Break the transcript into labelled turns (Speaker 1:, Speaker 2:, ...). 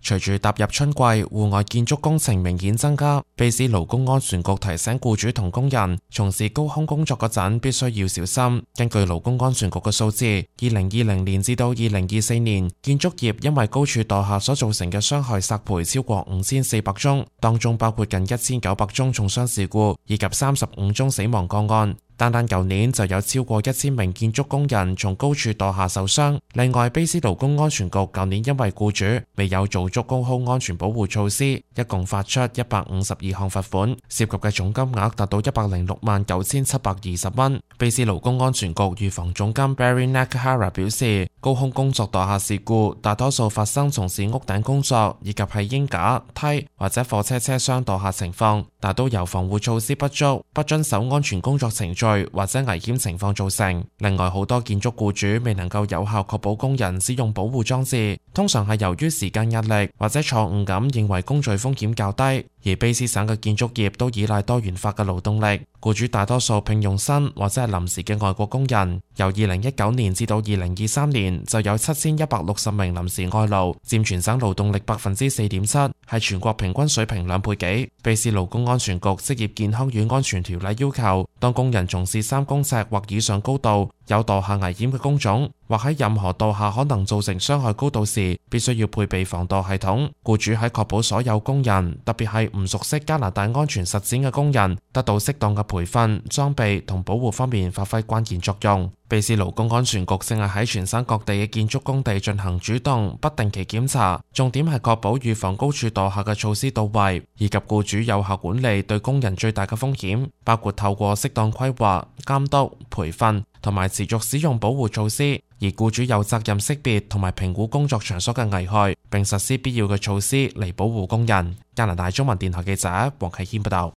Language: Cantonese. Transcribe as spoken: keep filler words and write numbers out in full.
Speaker 1: 隨住踏入春季，戶外建築工程明顯增加。卑斯勞工安全局提醒僱主同工人，從事高空工作嗰陣必須要小心。根據勞工安全局嘅數字，二零二零年至到二零二四年，建築業因為高處墮下所造成嘅傷害索賠超過五千四百宗，當中包括近一千九百宗重傷事故以及三十五宗死亡個案。單單舊年就有超過一千名建築工人從高處墮下受傷。另外，卑斯勞工安全局舊年因為僱主未有做足高空安全保護措施，一共發出一百五十二項罰款，涉及嘅總金額達到一百零六萬九千七百二十蚊。卑斯勞工安全局預防總監 Barry Nakahara 表示，高空工作墮下事故大多數發生從事屋頂工作以及係鷹架、梯或者貨車車廂墮下情況，但都由防護措施不足、不遵守安全工作程序或者危險情況造成。另外，好多建築僱主未能夠有效確保工人使用保護裝置，通常係由於時間壓力或者錯誤咁認為工序風險較低。而卑斯省嘅建築業都依賴多元化嘅勞動力，僱主大多數聘用新或者係臨時嘅外國工人。由二零一九年至到二零二三年，就有七千一百六十名臨時外勞，佔全省勞動力百分之四點七，係全國平均水平兩倍幾。卑斯勞工安全局職業健康與安全條例要求，當工人從事三公尺或以上高度有墮下危險嘅工種，或喺任何墮下可能造成傷害高度時，必須要配備防墮系統。僱主喺確保所有工人，特別係唔熟悉加拿大安全實踐嘅工人，得到適當嘅培訓、裝備同保護方面發揮關鍵作用。卑斯勞工安全局正係喺全省各地嘅建築工地進行主動不定期檢查，重點係確保預防高處墮下嘅措施到位，以及僱主有效管理對工人最大嘅風險，包括透過適當規劃、監督、培訓同埋持續使用保護措施。而僱主有責任識別同埋評估工作場所嘅危害，並實施必要嘅措施嚟保護工人。加拿大中文電台記者黃啟謙報道。